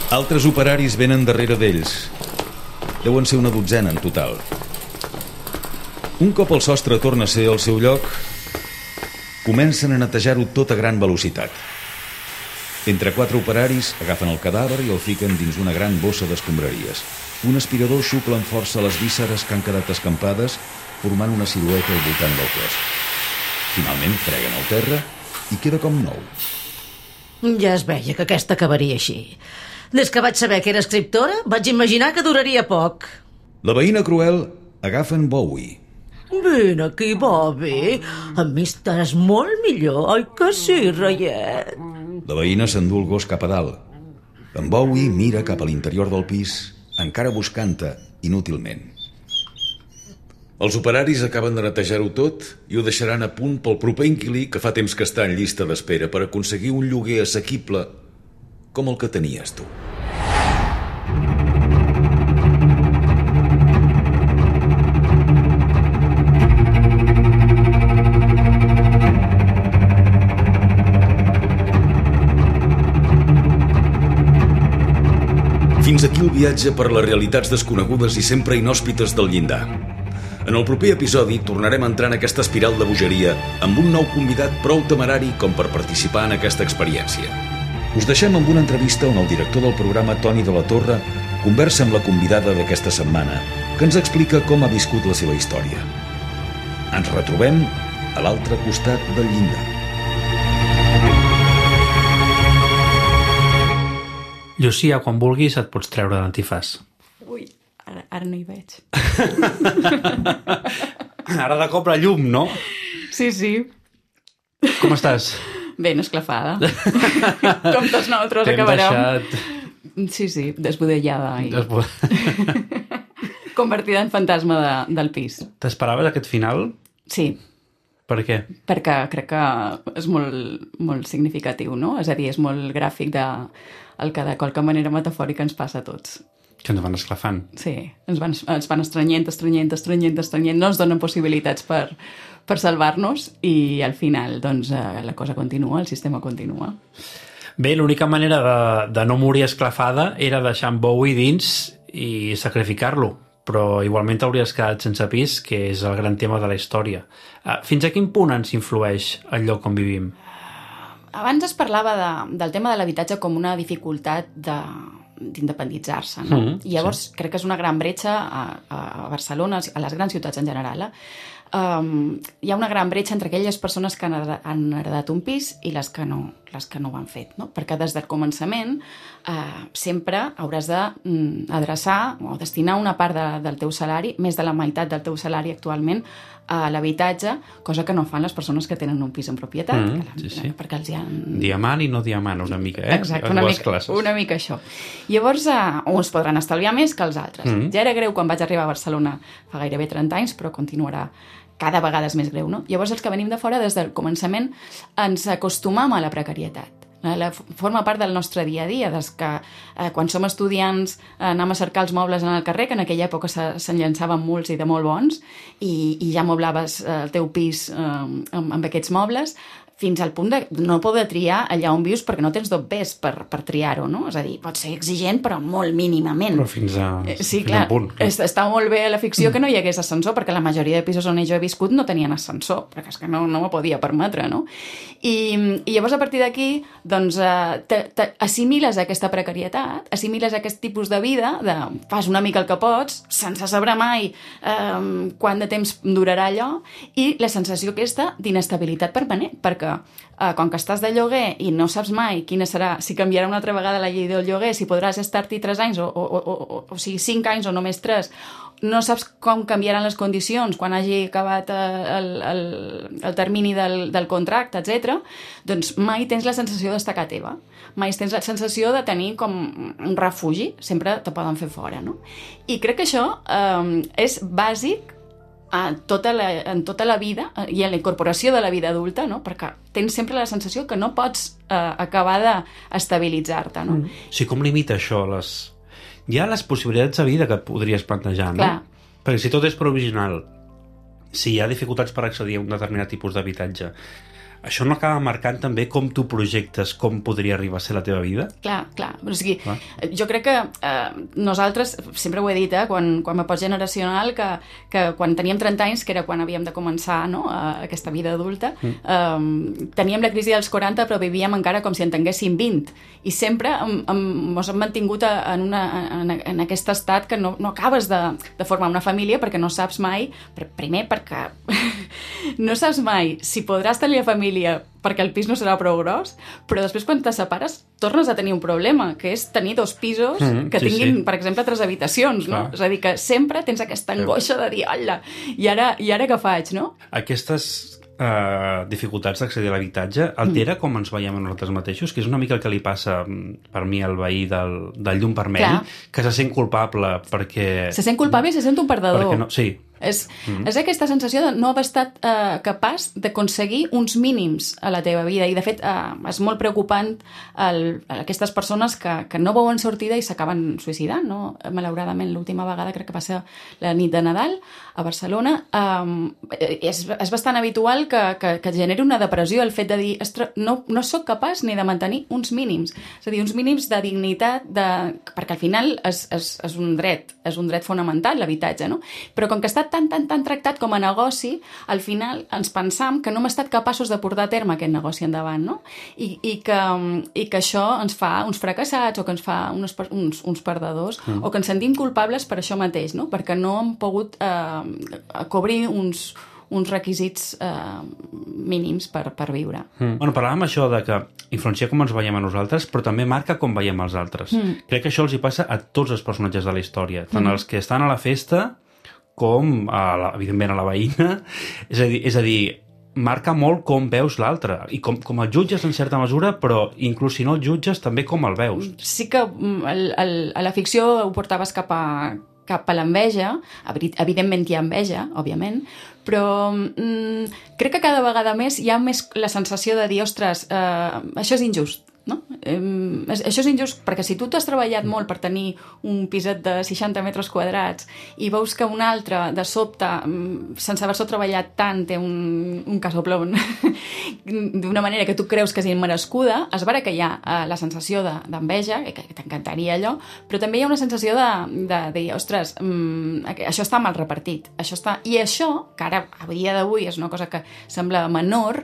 Altres operaris venen darrere d'ells. Deuen ser una dotzena en total. Un cop el sostre torna a ser al seu lloc, comencen a netejar-ho tot a gran velocitat. Entre quatre operaris agafen el cadàver i el fiquen dins una gran bossa d'escombraries. Un aspirador xucla amb força les vísceres que han quedat escampades, formant una silueta al voltant del cos. Finalment freguen el terra i queda com nou. Ja es veia que aquesta acabaria així. Des que vaig saber que era escriptora, vaig imaginar que duraria poc. La veïna cruel agafa en Bowie. Vine aquí, Bobby. Amb mi estaràs molt millor, oi que sí, reiet? La veïna s'endú el gos cap a dalt. En Bowie mira cap a l'interior del pis, encara buscant-te inútilment. Els operaris acaben de netejar-ho tot i ho deixaran a punt pel proper inquilí que fa temps que està en llista d'espera per aconseguir un lloguer assequible com el que tenies tu. Fins aquí el viatge per les realitats desconegudes i sempre inhòspites del llindar. En el proper episodi tornarem a entrar en aquesta espiral de bogeria amb un nou convidat prou temerari com per participar en aquesta experiència. Us deixem amb una entrevista on el director del programa, Toni de la Torre, conversa amb la convidada d'aquesta setmana, que ens explica com ha viscut la seva història. Ens retrobem a l'altre costat del llindar. Llucia, quan vulguis et pots treure l'antifàs. Ui, ara no hi veig. Ara de cop la llum, no? Sí. Com estàs? Ben esclafada. Com tots nosaltres acabarem. Sí, desbudellada. Convertida en fantasma del pis. T'esperaves aquest final? Sí. Per què? Perquè crec que és molt significatiu, no? És a dir, és molt gràfic el que de qualque manera metafòrica ens passa a tots. Que ens van esclafant. Sí, ens van estrenyent, no ens donen possibilitats per salvar-nos i al final doncs, la cosa continua, el sistema continua. Bé, l'única manera de no morir esclafada era deixar en Bowie dins i sacrificar-lo, però igualment t'hauries quedat sense pis, que és el gran tema de la història. Fins a quin punt ens influeix el lloc on vivim? Abans es parlava del tema de l'habitatge com una dificultat d'independitzar-se, no? I llavors crec que és una gran bretxa a Barcelona, a les grans ciutats en general. Hi ha una gran bretxa entre aquelles persones que han heredat un pis i les que no ho han fet, no? Perquè des del començament sempre hauràs d'adreçar o destinar una part del teu salari, més de la meitat del teu salari actualment, a l'habitatge, cosa que no fan les persones que tenen un pis en propietat. Perquè els hi han... Diamant i no diamant, una mica, Exacte, una mica això. Llavors, uns podran estalviar més que els altres. Ja era greu quan vaig arribar a Barcelona fa gairebé 30 anys, però continuarà cada vegada és més greu, no? Llavors, els que venim de fora, des del començament, ens acostumam a la precarietat. Forma part del nostre dia a dia, des que quan som estudiants anem a cercar els mobles en el carrer, que en aquella època se'n llançaven molts i de molt bons, i ja moblaves el teu pis amb aquests mobles, fins al punt de no poder triar allà on vius perquè no tens dobbers per triar-ho, no? És a dir, pot ser exigent, però molt mínimament. Però fins a punt. Està molt bé a la ficció que no hi hagués ascensor, perquè la majoria de pisos on jo he viscut no tenien ascensor, perquè és que no m'ho podia permetre, no? I llavors, a partir d'aquí, doncs, assimiles aquesta precarietat, assimiles aquest tipus de vida, fas una mica el que pots, sense saber mai quant de temps durarà allò, i la sensació aquesta d'inestabilitat permanent, perquè quan que estàs de lloguer i no saps mai quina serà, si canviarà una altra vegada la llei del lloguer, si podràs estar-t'hi 3 anys o sigui 5 anys o només 3, no saps com canviaran les condicions quan hagi acabat el termini del contracte, etc. Doncs mai tens la sensació d'estar a casa teva, mai tens la sensació de tenir com un refugi, sempre te poden fer fora, no? I crec que això és bàsic en tota la vida i en la incorporació de la vida adulta, no? Perquè tens sempre la sensació que no pots acabar d'estabilitzar-te, no? Sí, com limita això? Hi ha les possibilitats de vida que et podries plantejar, no? Clar. Perquè si tot és provisional, si hi ha dificultats per accedir a un determinat tipus d'habitatge, això no acaba marcant també com tu projectes com podria arribar a ser la teva vida? Clar. O sigui, jo crec que nosaltres, sempre ho he dit, quan me pots generacional, que quan teníem 30 anys, que era quan havíem de començar, no, aquesta vida adulta, teníem la crisi dels 40, però vivíem encara com si en tinguéssim 20. I sempre ens hem mantingut en aquest estat que no acabes de formar una família perquè no saps mai, primer perquè no saps mai si podràs tenir la família perquè el pis no serà prou gros, però després quan te separes tornes a tenir un problema, que és tenir 2 pisos que tinguin, per exemple, 3 habitacions, no? És a dir, que sempre tens aquesta angoixa de dir, hola, i ara què faig, no? Aquestes dificultats d'accedir a l'habitatge altera com ens veiem a nosaltres mateixos, que és una mica el que li passa per mi al veí del llum vermell, que se sent culpable perquè... Se sent culpable i se sent un perdedor. Sí. És aquesta sensació de no haver estat capaç d'aconseguir uns mínims a la teva vida, i de fet és molt preocupant aquestes persones que no veuen sortida i s'acaben suïcidant, no? Malauradament, l'última vegada crec que va ser la nit de Nadal a Barcelona. És bastant habitual que generi una depressió el fet de dir, no sóc capaç ni de mantenir uns mínims, és a dir, uns mínims de dignitat, perquè al final és un dret fonamental, l'habitatge, no? Però com que està tan tractat com a negoci, al final ens pensam que no hem estat capaços de portar a terme aquest negoci endavant, no? I que això ens fa uns fracassats o que ens fa uns perdedors o que ens sentim culpables per això mateix, no? Perquè no hem pogut cobrir uns requisits mínims per viure. Bueno, parlàvem això de que influencia com ens veiem a nosaltres, però també marca com veiem els altres. Crec que això els hi passa a tots els personatges de la història, tant els que estan a la festa com, evidentment, a la veïna. És a dir, marca molt com veus l'altre, i com el jutges en certa mesura, però inclús si no el jutges també com el veus. Sí que a la ficció ho portaves cap a l'enveja, evidentment hi ha enveja, òbviament, però crec que cada vegada més hi ha més la sensació de dir, ostres, això és injust, no? Això és injust perquè si tu t'has treballat molt per tenir un piset de 60 metres quadrats i veus que un altre de sobte, sense haver-se treballat tant, té un casoplón d'una manera que tu creus que és immerescuda, és vera que hi ha la sensació d'enveja, que t'encantaria allò, però també hi ha una sensació de dir, ostres, això està mal repartit, i això, que ara a dia d'avui és una cosa que sembla menor,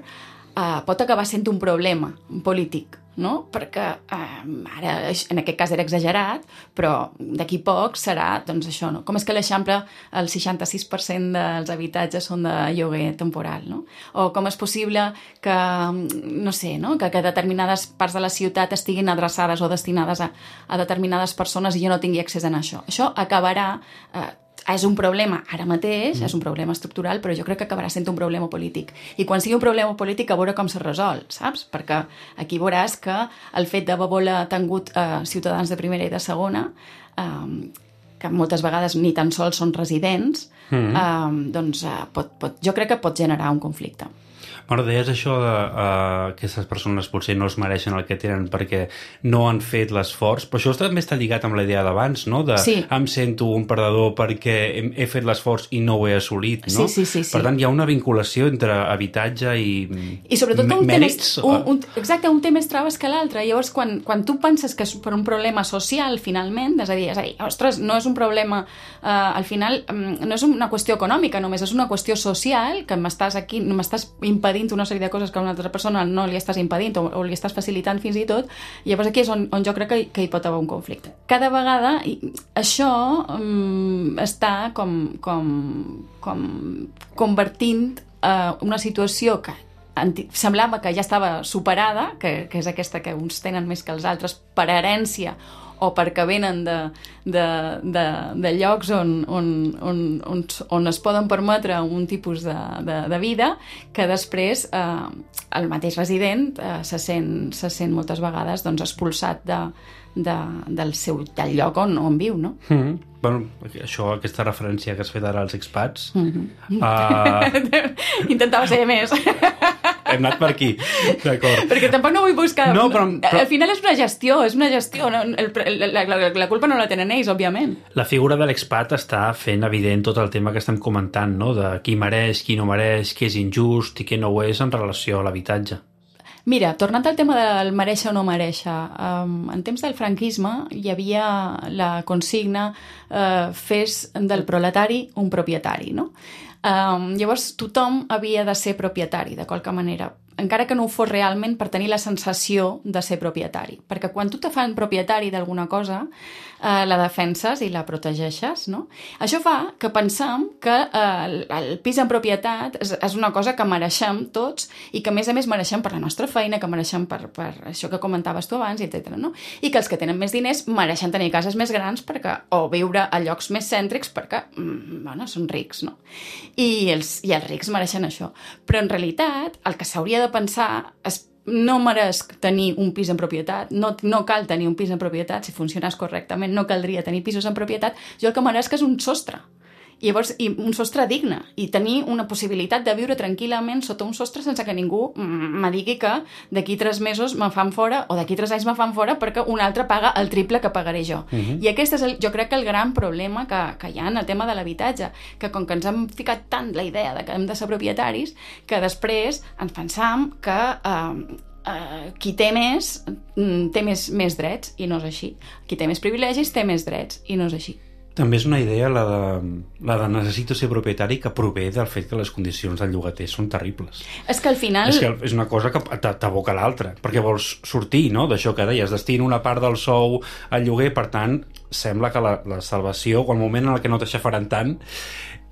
pot acabar sent un problema polític, no? Perquè ara en aquest cas era exagerat, però d'aquí poc serà, doncs això, no? Com és que a l'Eixample el 66% dels habitatges són de lloguer temporal, no? O com és possible que, no sé, no? Que determinades parts de la ciutat estiguin adreçades o destinades a determinades persones i jo no tingui accés a això. Això acabarà... és un problema ara mateix, és un problema estructural, però jo crec que acabarà sent un problema polític. I quan sigui un problema polític, a veure com se resol, saps? Perquè aquí veuràs que el fet d'haver tingut ciutadans de primera i de segona, que moltes vegades ni tan sols són residents, doncs jo crec que pot generar un conflicte. Bueno, deies això de aquestes persones potser no es mereixen el que tenen perquè no han fet l'esforç, però això també està lligat amb la idea d'abans, no? De em sento un perdedor perquè he fet l'esforç i no ho he assolit, no? Sí. Per tant, hi ha una vinculació entre habitatge i sobretot mèrits. Exacte, un té més traves que l'altre. Llavors, quan tu penses que és per un problema social, finalment, és a dir, ostres, no és un problema, al final, no és una qüestió econòmica només, és una qüestió social, que m'estàs impedint una sèrie de coses que a una altra persona no li estàs impedint o li estàs facilitant fins i tot, llavors aquí és on jo crec que hi pot haver un conflicte. Cada vegada això està com convertint una situació que semblava que ja estava superada, que és aquesta que uns tenen més que els altres per herència o perquè venen de llocs on es poden permetre un tipus de vida, que després el mateix resident se sent moltes vegades expulsat del lloc on viu, no? Bueno, aquesta referència que has fet ara als expats... Intentava ser més. Hem anat per aquí, d'acord. Perquè tampoc no vull buscar... No, però... Al final és una gestió. La culpa no la tenen ells, òbviament. La figura de l'expat està fent evident tot el tema que estem comentant, no? De qui mereix, qui no mereix, qui és injust i qui no ho és en relació a l'habitatge. Mira, tornant al tema del mereixer o no mereixer, en temps del franquisme hi havia la consigna fes del proletari un propietari, no? Llavors tothom havia de ser propietari, de qualque manera, encara que no ho fos realment per tenir la sensació de ser propietari. Perquè quan tu te fan propietari d'alguna cosa, la defenses i la protegeixes, no? Això fa que pensem que el pis en propietat és una cosa que mereixem tots i que a més mereixem per la nostra feina, que mereixem per això que comentaves tu abans, etc. No? I que els que tenen més diners mereixen tenir cases més grans o viure a llocs més cèntrics perquè, són rics, no? I els rics mereixen això. Però en realitat el que s'hauria de pensar és no meresc tenir un pis en propietat, no cal tenir un pis en propietat, si funcionés correctament no caldria tenir pisos en propietat, jo el que meresc és un sostre. I llavors, un sostre digne, i tenir una possibilitat de viure tranquil·lament sota un sostre sense que ningú me digui que d'aquí 3 mesos me fan fora o d'aquí 3 anys me fan fora perquè un altre paga el triple que pagaré jo. I aquest és, jo crec que el gran problema que hi ha en el tema de l'habitatge, que com que ens hem ficat tant la idea de que hem de ser propietaris, que després ens pensam que qui té més drets, i no és així. Qui té més privilegis té més drets, i no és així. També és una idea la de necessito ser propietari, que prové del fet que les condicions del llogater són terribles. És que al final... És una cosa que t'aboca l'altra, perquè vols sortir, no?, d'això que deies, destina una part del sou al lloguer, per tant, sembla que la salvació, o el moment en què no t'aixafaran tant,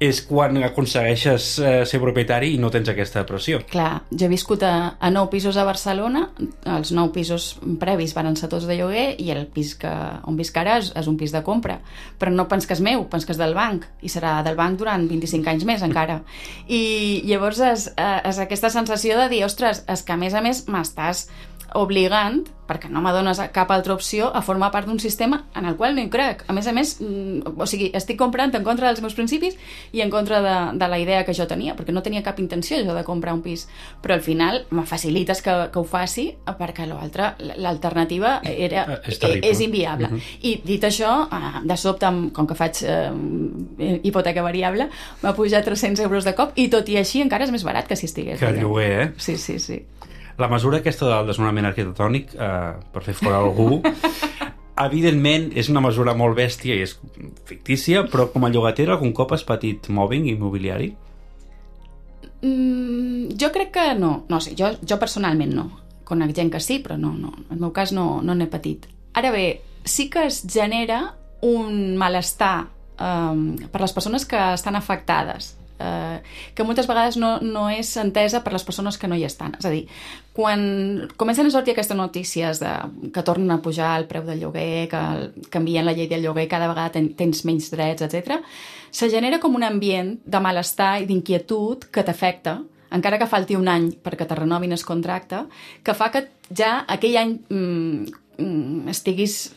és quan aconsegueixes ser propietari i no tens aquesta pressió. Clar, jo he viscut a 9 pisos a Barcelona, els 9 pisos previs van ser tots de lloguer i el pis on visc ara és un pis de compra. Però no pens que és meu, pens que és del banc, i serà del banc durant 25 anys més encara. I llavors és aquesta sensació de dir, ostres, és que a més m'estàs obligant, perquè no m'adones cap altra opció, a formar part d'un sistema en el qual no hi crec. A més, o sigui, estic comprant en contra dels meus principis i en contra de la idea que jo tenia, perquè no tenia cap intenció jo de comprar un pis. Però al final me facilites que ho faci, perquè l'alternativa és inviable. I dit això, de sobte, com que faig hipoteca variable, m'ha pujat 300 euros de cop i tot i així encara és més barat que si estigués. Que el lloguer, Sí. La mesura aquesta del desnonament arquitectònic, per fer fora algú, evidentment és una mesura molt bèstia i és fictícia, però com a llogater algun cop has patit mobbing immobiliari? Jo crec que no. No sé, jo personalment no. Conec gent que sí, però no. En el meu cas no n'he patit. Ara bé, sí que es genera un malestar per les persones que estan afectades, que moltes vegades no és entesa per les persones que no hi estan. És a dir, quan comencen a sortir aquestes notícies que tornen a pujar el preu del lloguer, que canvien la llei del lloguer, cada vegada tens menys drets, etc., se genera com un ambient de malestar i d'inquietud que t'afecta, encara que falti un any perquè te renovin el contracte, que fa que ja aquell any estiguis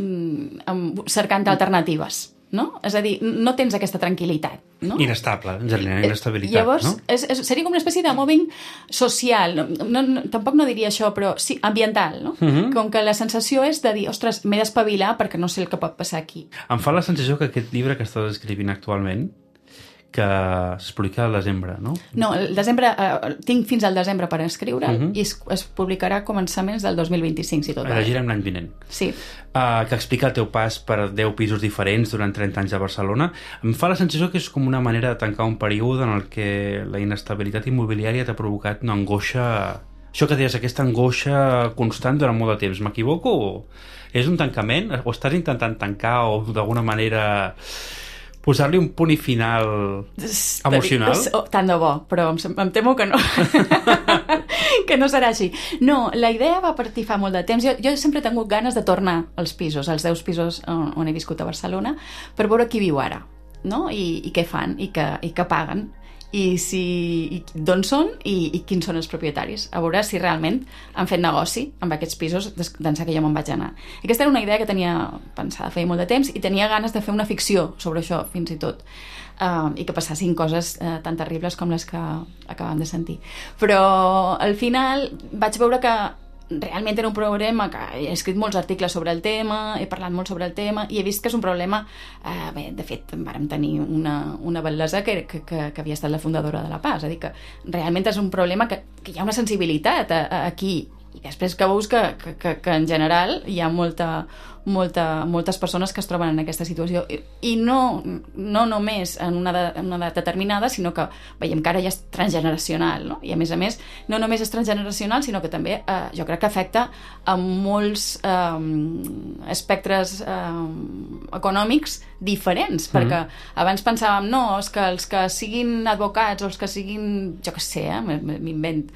cercant alternatives. No? És a dir, no tens aquesta tranquil·litat. No? Inestable, en general, inestabilitat. Llavors, no? Seria com una espècie de mobbing social. Tampoc no diria això, però sí, ambiental. No? Com que la sensació és de dir, ostres, m'he d'espavilar perquè no sé el que pot passar aquí. Em fa la sensació que aquest llibre que estàs escrivint actualment, que es publica al desembre, no? No, el desembre, tinc fins al desembre per escriure i es publicarà a començaments del 2025, si tot va bé. Llegirem l'any vinent. Sí. Que explica el teu pas per 10 pisos diferents durant 30 anys a Barcelona. Em fa la sensació que és com una manera de tancar un període en el que la inestabilitat immobiliària t'ha provocat una angoixa... Això que deies, aquesta angoixa constant durant molt de temps. M'equivoco? És un tancament? O estàs intentant tancar o d'alguna manera... posar-li un punt i final emocional? Tant de bo, però em temo que no. Que no serà així. No, la idea va partir fa molt de temps. Jo sempre he tingut ganes de tornar als pisos, als 10 pisos on he viscut a Barcelona, per veure qui viu ara, no? I què fan, i què paguen, i d'on són i quins són els propietaris, a veure si realment han fet negoci amb aquests pisos d'ençà que jo me'n vaig anar. Aquesta era una idea que tenia pensada feia molt de temps i tenia ganes de fer una ficció sobre això, fins i tot, i que passassin coses tan terribles com les que acabem de sentir. Però al final vaig veure que realment era un problema que he escrit molts articles sobre el tema, he parlat molt sobre el tema i he vist que és un problema, bé, de fet vàrem tenir una bel·lesa que havia estat la fundadora de la PA, és a dir, que realment és un problema que hi ha una sensibilitat aquí, i després que veus que en general hi ha moltes persones que es troben en aquesta situació i no només en una edat determinada, sinó que veiem que ara ja és transgeneracional, no? I a més no només és transgeneracional, sinó que també jo crec que afecta a molts espectres econòmics diferents, perquè abans pensàvem, no, és que els que siguin advocats o els que siguin, jo què sé, m'invent,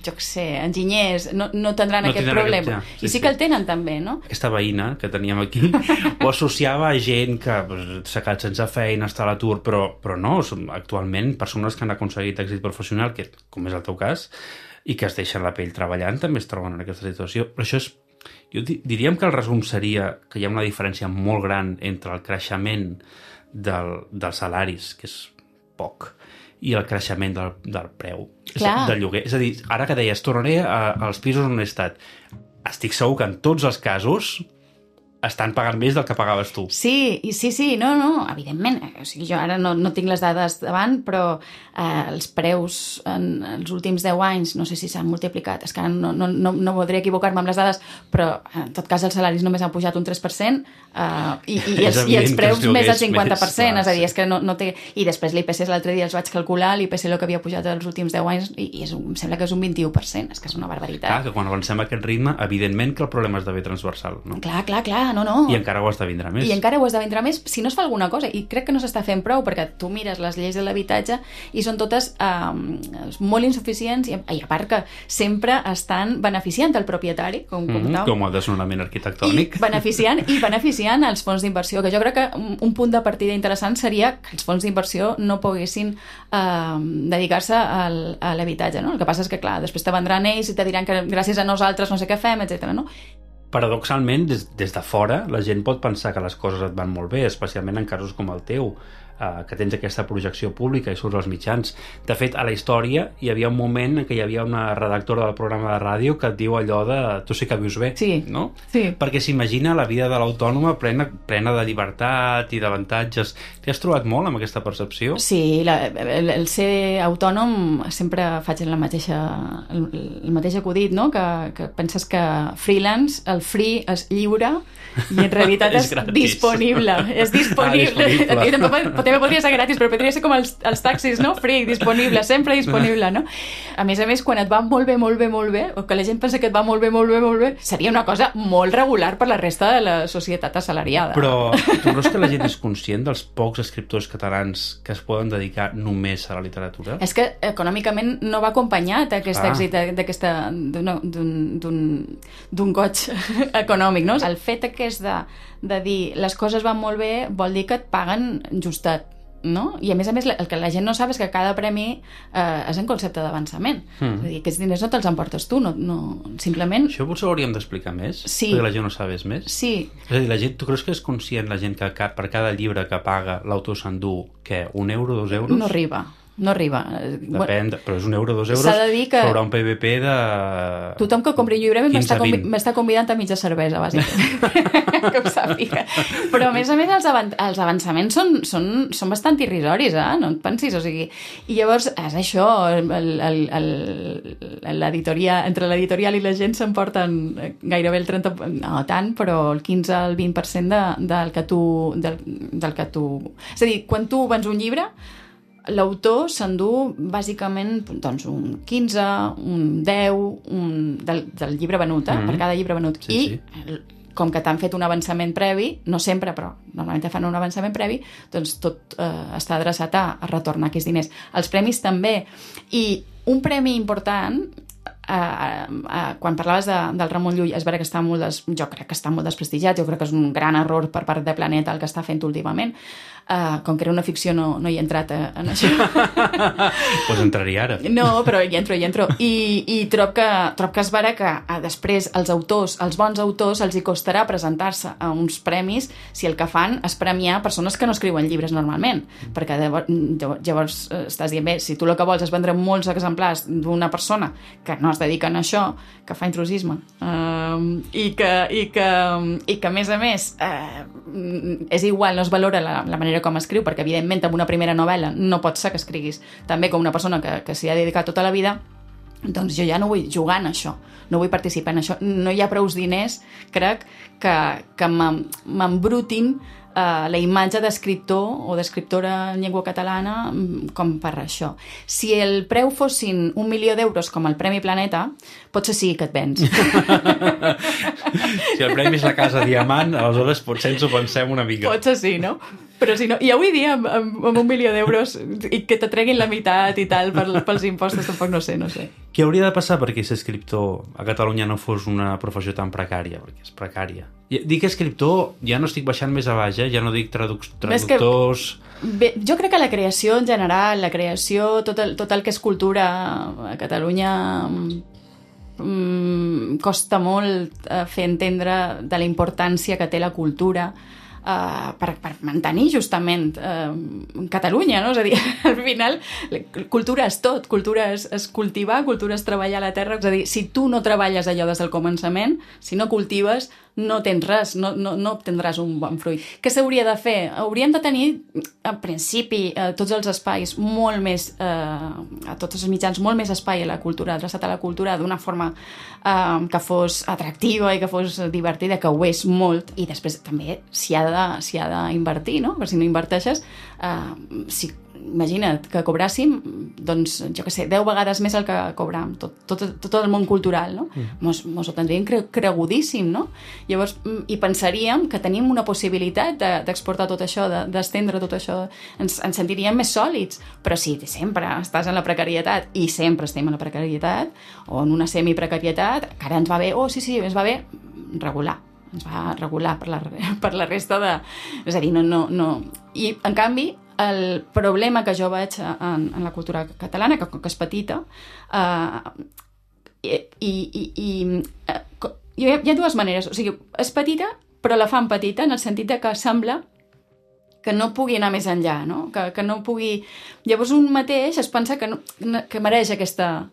jo què sé, enginyers, no tindran aquest problema. I sí que el tenen també, no? Aquesta veïna que teníem aquí ho associava a gent que s'ha quedat sense feina, està a l'atur, però no, són actualment persones que han aconseguit èxit professional, que com és el teu cas, i que es deixen la pell treballant, també es troben en aquesta situació. Però això és... Jo diríem que el resum seria que hi ha una diferència molt gran entre el creixement dels salaris, que és poc, i el creixement del preu del lloguer. És a dir, ara que deies, tornaré als pisos on he estat. Estic segur que en tots els casos estan pagant més del que pagaves tu. Sí, no, evidentment. O sigui, jo ara no tinc les dades davant, però els preus en els últims 10 anys, no sé si s'han multiplicat, és que ara no voldria equivocar-me amb les dades, però en tot cas els salaris només han pujat un 3% i els preus més del 50%, és a dir, és que no té... I després l'IPC l'altre dia els vaig calcular, l'IPC el que havia pujat els últims 10 anys i em sembla que és un 21%, és que és una barbaritat. Clar, que quan avancem a aquest ritme, evidentment que el problema esdevé transversal, no? Clar, no. I encara ho esdevindrà més. I encara ho esdevindrà més si no es fa alguna cosa. I crec que no s'està fent prou, perquè tu mires les lleis de l'habitatge i són totes molt insuficients i a part que sempre estan beneficiant el propietari, com el desnonament arquitectònic. I beneficiant els fons d'inversió, que jo crec que un punt de partida interessant seria que els fons d'inversió no poguessin dedicar-se a l'habitatge, no? El que passa és que, clar, després te vendran ells i te diran que gràcies a nosaltres no sé què fem, etc. no? Paradoxalment, des de fora, la gent pot pensar que les coses et van molt bé, especialment en casos com el teu, que tens aquesta projecció pública i surts als mitjans. De fet, a la història hi havia un moment en què hi havia una redactora del programa de ràdio que et diu allò de tu sí que vius bé, no? Sí. Perquè s'imagina la vida de l'autònoma plena de llibertat i d'avantatges. T'hi has trobat molt amb aquesta percepció? Sí, el ser autònom sempre faig el mateix acudit, no? Que penses que freelance, el free és lliure i en realitat és disponible. És disponible. També podria ser gratis, però podria ser com els taxis, no? Free, disponible, sempre disponible, no? A més, quan et va molt bé, o que la gent pensa que et va molt bé, seria una cosa molt regular per la resta de la societat assalariada. Però tu creus que la gent és conscient dels pocs escriptors catalans que es poden dedicar només a la literatura? És que econòmicament no va acompanyat aquest èxit d'un goig econòmic, no? El fet aquest de dir les coses van molt bé vol dir que et paguen justet, no? I a més, el que la gent no sap és que cada premi és en concepte d'avançament. És a dir, aquests diners no te'ls emportes tu, simplement... Això potser ho hauríem d'explicar més? Sí. Perquè la gent no sabés més? Sí. És a dir, la gent, tu creus que és conscient la gent que per cada llibre que paga l'autor s'endú, què, 1 euro, 2 euros? No arriba. Depèn, però és 1 euro, 2 euros, s'ha de dir que sobre un PVP de... Tothom que compri un llibre 15-20. m'està convidant a mitja cervesa, bàsicament, que ho sàpiga. Però, a més, els avançaments són bastant irrisoris, no et pensis, o sigui... I llavors, és això, entre l'editorial i la gent s'emporten gairebé el 30%, no tant, però el 15 al 20% del que tu... És a dir, quan tu vens un llibre, l'autor s'endú bàsicament doncs, un 15, un 10 del llibre venut, per cada llibre venut. Com que t'han fet un avançament previ, no sempre, però normalment te fan un avançament previ, doncs tot està adreçat a retornar aquests diners. Els premis també. I un premi important... quan parlaves del Ramon Llull, és vera que jo crec que està molt desprestigiat, jo crec que és un gran error per part de Planeta el que està fent últimament. Com que era una ficció no hi he entrat en això. Pues entraria ara. No, però hi entro. I trob que és vera que després els bons autors els hi costarà presentar-se a uns premis si el que fan és premiar persones que no escriuen llibres normalment, perquè llavors estàs dient, bé, si tu el que vols és vendre molts exemplars d'una persona que no es dediquen a això, que fa intrusisme, i que a més és igual, no es valora la manera com escriu, perquè evidentment amb una primera novel·la no pot ser que escriguis també com una persona que s'hi ha dedicat tota la vida, doncs jo ja no vull jugar en això, no vull participar en això, no hi ha prous diners, crec, que m'embrutin la imatge d'escriptor o d'escriptora en llengua catalana com per això. Si el preu fossin 1 milió d'euros com el Premi Planeta, potser sí que et vens. Si el premi és la Casa Diamant, aleshores potser ens ho pensem una mica. Potser sí, no? Però si no, i avui dia amb 1 milió d'euros i que te treguin la meitat i tal pels impostos, tampoc no sé. Què hauria de passar perquè ser escriptor a Catalunya no fos una professió tan precària? Perquè és precària. Dic escriptor, ja no estic baixant més a baix, ja no dic traductors... Bé, jo crec que la creació en general, tot el que és cultura a Catalunya costa molt fer entendre de la importància que té la cultura per mantenir justament Catalunya, no? És a dir, al final cultura és tot, cultura és cultivar, cultura és treballar la terra, és a dir, si tu no treballes allò des del començament, si no cultives, no tens res, no obtindràs un bon fruit. Què s'hauria de fer? Hauríem de tenir, en principi, tots els espais molt més, a tots els mitjans, molt més espai a la cultura, adreçat a la cultura d'una forma que fos atractiva i que fos divertida, que ho és molt, i després també s'hi ha d'invertir, no? Perquè si no inverteixes, imagina't que cobràssim, doncs, jo què sé, 10 vegades més el que cobràvem, tot el món cultural, no? Mos ho tindríem cregudíssim, no? Llavors, i pensaríem que tenim una possibilitat d'exportar tot això, d'estendre tot això, ens sentiríem més sòlids, però si sempre estàs en la precarietat, i sempre estem en la precarietat, o en una semiprecarietat, que ara ens va bé, sí, ens va bé regular, ens va regular per la resta de... És a dir, no... I, en canvi, el problema que jo veig en la cultura catalana, que és petita, hi ha dues maneres. O sigui, és petita, però la fan petita en el sentit que sembla que no pugui anar més enllà, no? Que no pugui... Llavors un mateix es pensa que mereix aquesta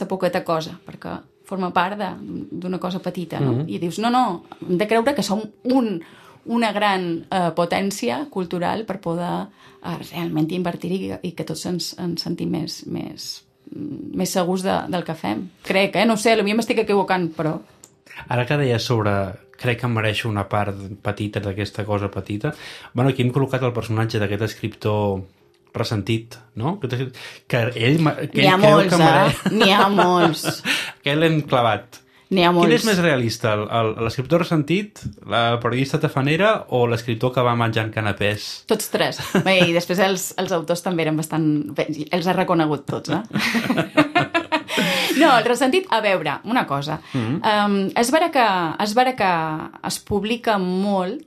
poqueta cosa, perquè forma part d'una cosa petita, no? I dius, no, hem de creure que som una gran potència cultural per poder realment invertir i que tots ens sentim més segurs del que fem. Crec, no sé, potser m'estic equivocant, però... Ara que deies sobre crec que em mereixo una part petita d'aquesta cosa petita, bueno, aquí hem col·locat el personatge d'aquest escriptor ressentit, no? Que ell N'hi ha molts, n'hi ha molts. Que l'hem clavat. N'hi ha molts. Quin és més realista, l'escriptor ressentit, la periodista tafanera o l'escriptor que va menjant canapés? Tots tres. Bé, i després els autors també eren bastant... Els ha reconegut tots, No, el ressentit, a veure, una cosa. És vera que es publica molt,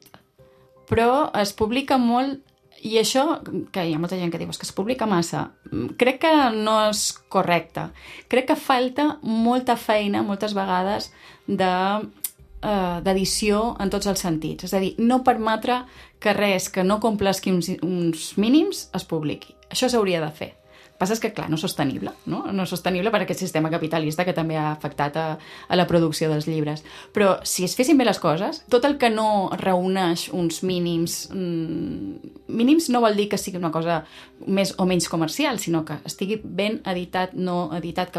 però es publica molt, i això, que hi ha molta gent que diu que es publica massa, crec que no és correcte. Crec que falta molta feina, moltes vegades, d'edició en tots els sentits. És a dir, no permetre que res que no complesqui uns mínims es publiqui. Això s'hauria de fer. El que passa és que, clar, no és sostenible, no? No és sostenible per aquest sistema capitalista que també ha afectat a la producció dels llibres. Però si es fessin bé les coses, tot el que no reuneix uns mínims... Mínims no vol dir que sigui una cosa més o menys comercial, sinó que estigui ben editat, no editat,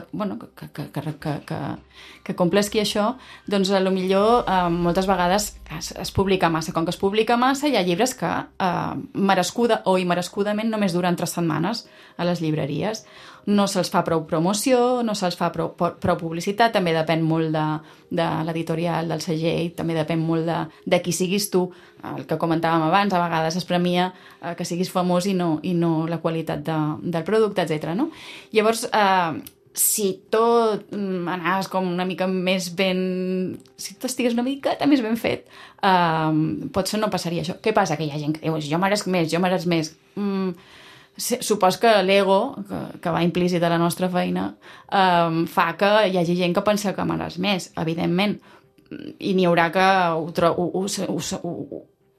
que complesqui això, doncs potser moltes vegades es publica massa. Com que es publica massa, hi ha llibres que merescuda o immerescudament només duren 3 setmanes a les llibreries. No se'ls fa prou promoció, no se'ls fa prou publicitat, també depèn molt de l'editorial, del segell, també depèn molt de qui siguis tu, el que comentàvem abans, a vegades es premia que siguis famós i no la qualitat del producte, etc. No? Llavors, si tot anaves com una mica més ben... Si tot estigués una miqueta més ben fet, potser no passaria això. Què passa? Que hi ha gent que diu, jo mereix més. Supos que l'ego, que va implícit a la nostra feina, fa que hi hagi gent que pensa que mereix més, evidentment. I n'hi haurà que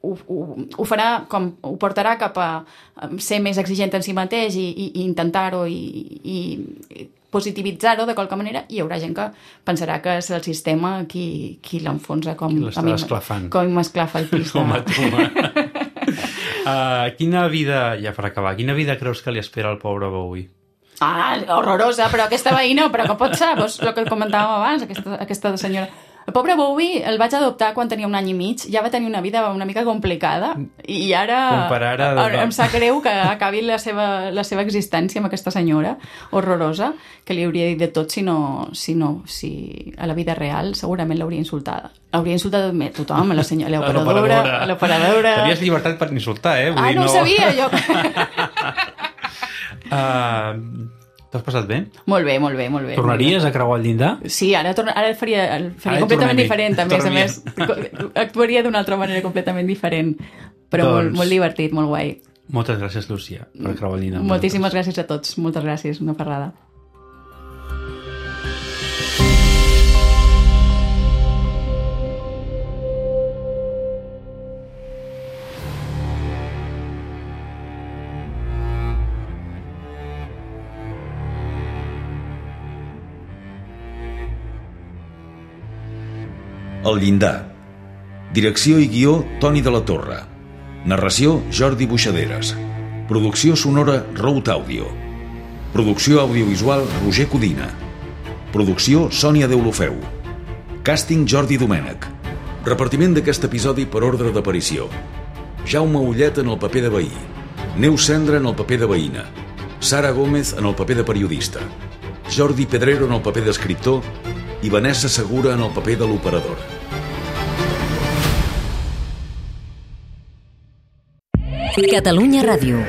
ho farà com ho portarà cap a ser més exigent en si mateix i intentar-ho i positivitzar-ho de qualque manera, i hi haurà gent que pensarà que és el sistema qui l'enfonsa com m'esclafa el pis. Com a tu. Quina vida, ja per acabar, quina vida creus que li espera al pobre Bowie? Horrorosa, però aquesta veïna, però que pot ser? Doncs el que comentàvem abans, aquesta senyora. El pobre Bowie el vaig adoptar quan tenia 1 any i mig, ja va tenir una vida una mica complicada, i ara em sap greu que acabi la seva existència amb aquesta senyora horrorosa, que li hauria dit de tot si a la vida real segurament l'hauria insultada. L'hauria insultat tothom, l'operadora... Tenies llibertat per insultar, no ho sabia, jo... T'has passat bé? Molt bé. Tornaries a creuar el llindar? Sí, ara faria completament diferent, a més. Actuaria d'una altra manera completament diferent, però molt divertit, molt guai. Moltes gràcies, Lúcia, per creuar el llindar. Moltíssimes gràcies a tots, moltes gràcies, una parrada. El llindar. Direcció i guió, Toni de la Torre. Narració, Jordi Buixaderes. Producció sonora, Road Audio. Producció audiovisual, Roger Codina. Producció, Sònia Deulofeu. Càsting, Jordi Domènech. Repartiment d'aquest episodi per ordre d'aparició. Jaume Ullet en el paper de veí. Neus Cendra en el paper de veïna. Sara Gómez en el paper de periodista. Jordi Pedrero en el paper d'escriptor i Vanessa Segura en el paper de l'operador. Catalunya Ràdio.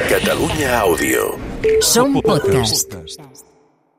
Catalunya Àudio. Som podcast.